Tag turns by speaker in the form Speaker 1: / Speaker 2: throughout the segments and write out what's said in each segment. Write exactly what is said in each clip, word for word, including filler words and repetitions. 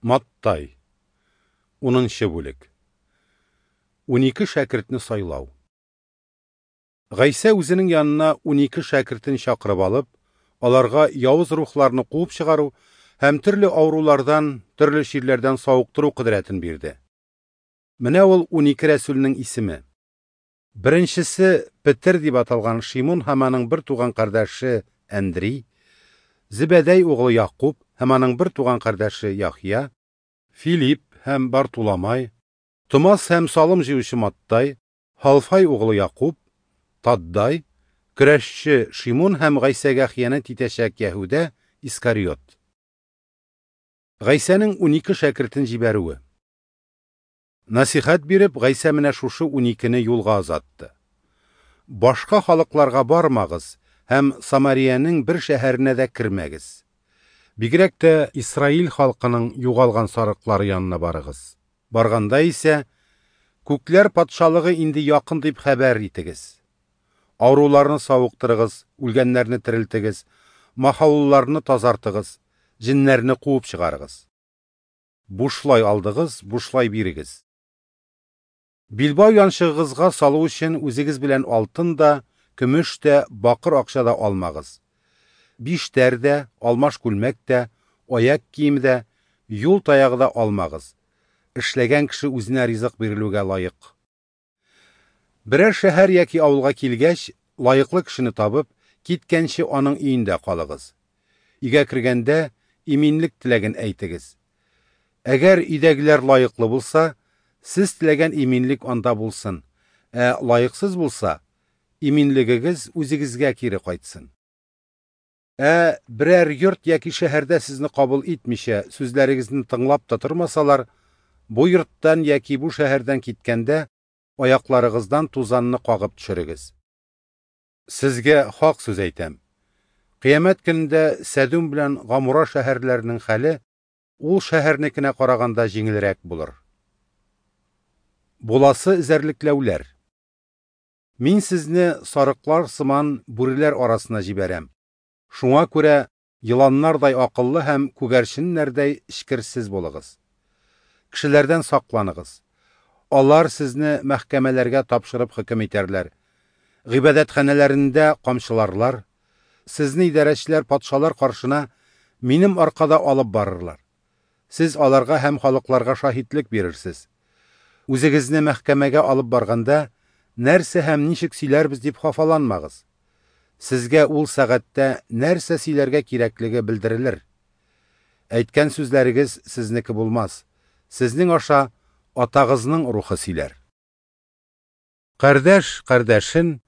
Speaker 1: Маттай, унынчы бүлек. Унике шәкертне сайлау. Гайсә үзенең янына унике шәкертен чакырып алып, аларга явыз рухларны куып чыгару һәм төрле авырулардан, төрле чирләрдән савыктыру кодрәтен бирде. Менә ул унике рәсүлнең исеме. Беренчесе Петер дип аталган Шимун һәм аның бер туган кардәше Әндри, Зебәдәй углы Якуб һәм аның бер туган кардәше Яхъя, Филипп һәм Бартуламай, Томас һәм салым җыючы Маттай, Халфай углы Якуб, Таддай, көрәшче Шимун һәм Гайсәгә хыянәт итәчәк Яһүдә Искариот. Гайсәнең унике шәкертен җибәрүе. Насихәт биреп, Гайсә менә шушы уникене юлга озатты. Башка халыкларга бармагыз һәм Самариянең бер шәһәренә дә кермәгез. Бигрәк тә Исраил халкының югалган сарыклары янына барыгыз. Барганда исә, күкләр патшалыгы инде якын дип хәбәр итегез. Авыруларны савыктырыгыз, үлгәннәрне терелтегез, махаулларны тазартыгыз, җеннәрне куып чыгарыгыз. Бушлай алдыгыз, бушлай бирегез. Билбау янчыгыгызга салу өчен үзегез белән алтын да, көмеш тә, бакыр акча да алмагыз. Биштәр дә, алмаш күлмәк тә, аяк киеме дә, юл таягы да алмагыз. Эшләгән кеше үзенә ризык бирелүгә лаек. Берәр шәһәр яки авылга килгәч, лаеклы кешене табып, киткәнче аның өендә калыгыз. Өйгә кергәндә иминлек теләген әйтегез. Әгәр өйдәгеләр лаеклы булса, сез теләгән иминлек анда булсын, ә лаексыз булса, иминлегегез үзегезгә кире кайтсын. Ә берәр йорт яки шәһәрдә сезне кабул итмичә, сүзләрегезне тыңлап та тормасалар, бу йорттан яки бу шәһәрдән киткәндә, аякларыгыздан тузанны кагып төшерегез. Сезгә хак сүз әйтәм. Кыямәт көнендә Сәдүм белән Гамура шәһәрләренең хәле ул шәһәрнекенә караганда җиңелрәк булыр. Буласы эзәрлекләүләр. Мин сезне сарыклар сыман бүреләр арасына җибәрәм. Шуңа күрә еланнардай акыллы һәм күгәрченнәрдәй эчкерсез булыгыз. Кешеләрдән сакланыгыз. Алар сезне мәхкәмәләргә тапшырып хөкем итәрләр. Гыйбадәтханәләрендә камчыларлар. Сезне идарәчеләр патшалар каршына минем аркада алып барырлар. Сез аларга һәм халыкларга шаһитлек бирерсез. Үзегезне мәхкәмәгә алып барганда, нәрсә һәм ничек сөйләрбез дип хафаланмагыз. Сезгә ул сәгатьтә нәрсә сөйләргә кирәклеге белдерелер. Әйткән сүзләрегез сезнеке булмас. Сезнең аша атагызның рухы сөйләр. Кардәш кардәшен,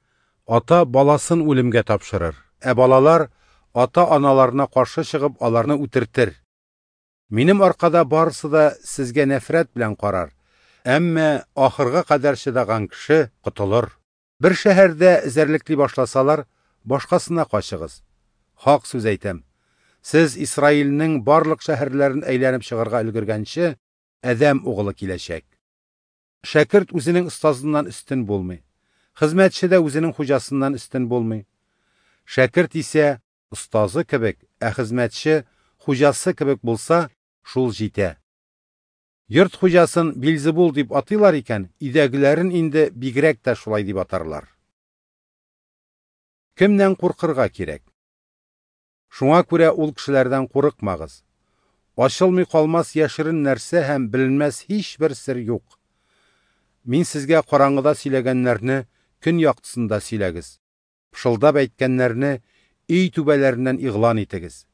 Speaker 1: ата баласын үлемгә тапшырыр, ә балалар ата-аналарына каршы чыгып аларны үтертер. Минем аркада барысы да сезгә нәфрәт белән карар, әмма ахырга кадәр чыдаган кеше котылыр. Бер шәһәрдә эзәрлекли башласалар, башкасына качыгыз. Хак сүз әйтәм. Сез Исраилнең барлык шәһәрләрен әйләнеп чыгарга өлгергәнче, Адәм углы киләчәк. Шәкерт үзенең остазыннан өстен булмый. Хезмәтче дә үзенең хуҗасыннан өстен булмый. Шәкерт исә остазы кебек, ә хезмәтче хуҗасы кебек булса, шул җитә. Йорт хуҗасын Билзебул дип атыйлар икән, өйдәгеләрен инде бигрәк тә шулай дип атарлар. Кемнән куркырга кирәк? Шуңа күрә ул кешеләрдән курыкмагыз. Ачылмый калмас яшерен нәрсә һәм беленмәс һичбер сер юк. Мин сезгә караңгыда сөйләгәннәрне көн яктысында сөйләгез. Пышылдап әйткәннәрне өй түбәләреннән игълан итегез.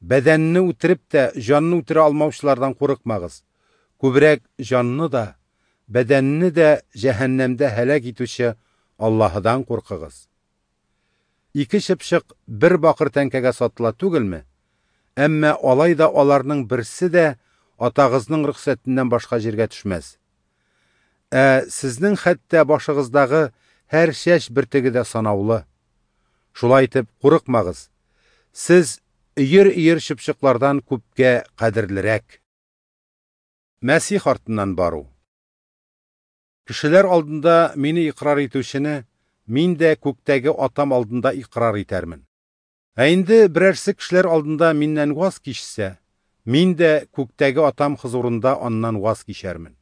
Speaker 1: Бәдәнне үтереп тә җанны үтерә алмаучылардан курыкмагыз. Күбрәк җанны да, бәдәнне дә җәһәннәмдә һәлак итүче Аллаһыдан куркыгыз. Ике чыпчык бер бакыр тәңкәгә сатыла түгелме? Әмма алай да аларның берсе дә атагызның рөхсәтеннән башка җиргә төшмәс. Ә сезнең хәтта башыгыздагы һәр чәч бөртеге дә санаулы. Шулай итеп курыкмагыз. Сез өер-өер чыпчыклардан күпкә кадерлерәк. Мәсих артыннан бару. Кешеләр алдында мине икрар итүчене мин дә күктәге атам алдында икрар итәрмен. Ә инде берәрсе кешеләр алдында миннән ваз кичсә, Мин дә күктәге Атам хозурында аннан ваз кичәрмен.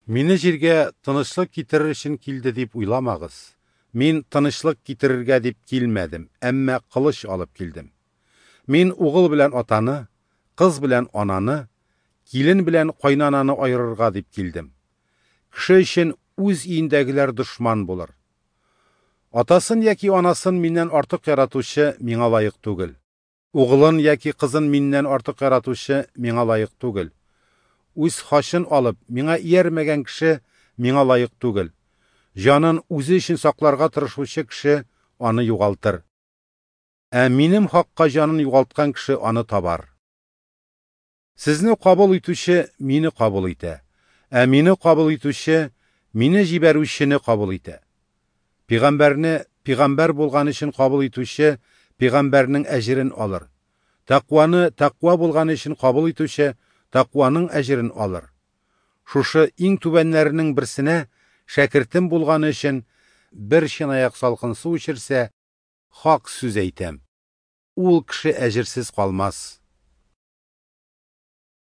Speaker 1: Мине җиргә тынычлык китерер өчен килде дип уйламагыз. Мин тынычлык китерергә дип килмәдем, әмма кылыч алып килдем. Мин угыл белән атаны, кыз белән ананы, килен белән кайнананы аерырга дип килдем. Кеше өчен үз өендәгеләр дошман булыр. Атасын яки анасын миннән артык яратучы миңа лаек түгел. Угылын яки кызын миннән артык яратучы миңа лаек түгел. Үз хачын алып, миңа иярмәгән кеше миңа лаек түгел. Җанын үзе өчен сакларга тырышучы кеше аны югалтыр. Ә минем хакка җанын югалткан кеше аны табар. Сезне кабул итүче мине кабул итә. Ә мине кабул итүче мине җибәрүчене кабул итә. Пәйгамбәрне пәйгамбәр булган өчен кабул итүче пәйгамбәрнең әҗерен алыр. Тәкъваны тәкъва булган өчен кабул итүче тәкъваның әҗерен алыр. Шушы иң түбәннәренең берсенә шәкертем булганы өчен бер чынаяк салкын су эчерсә, хак сүз әйтәм: ул кеше әҗерсез калмас.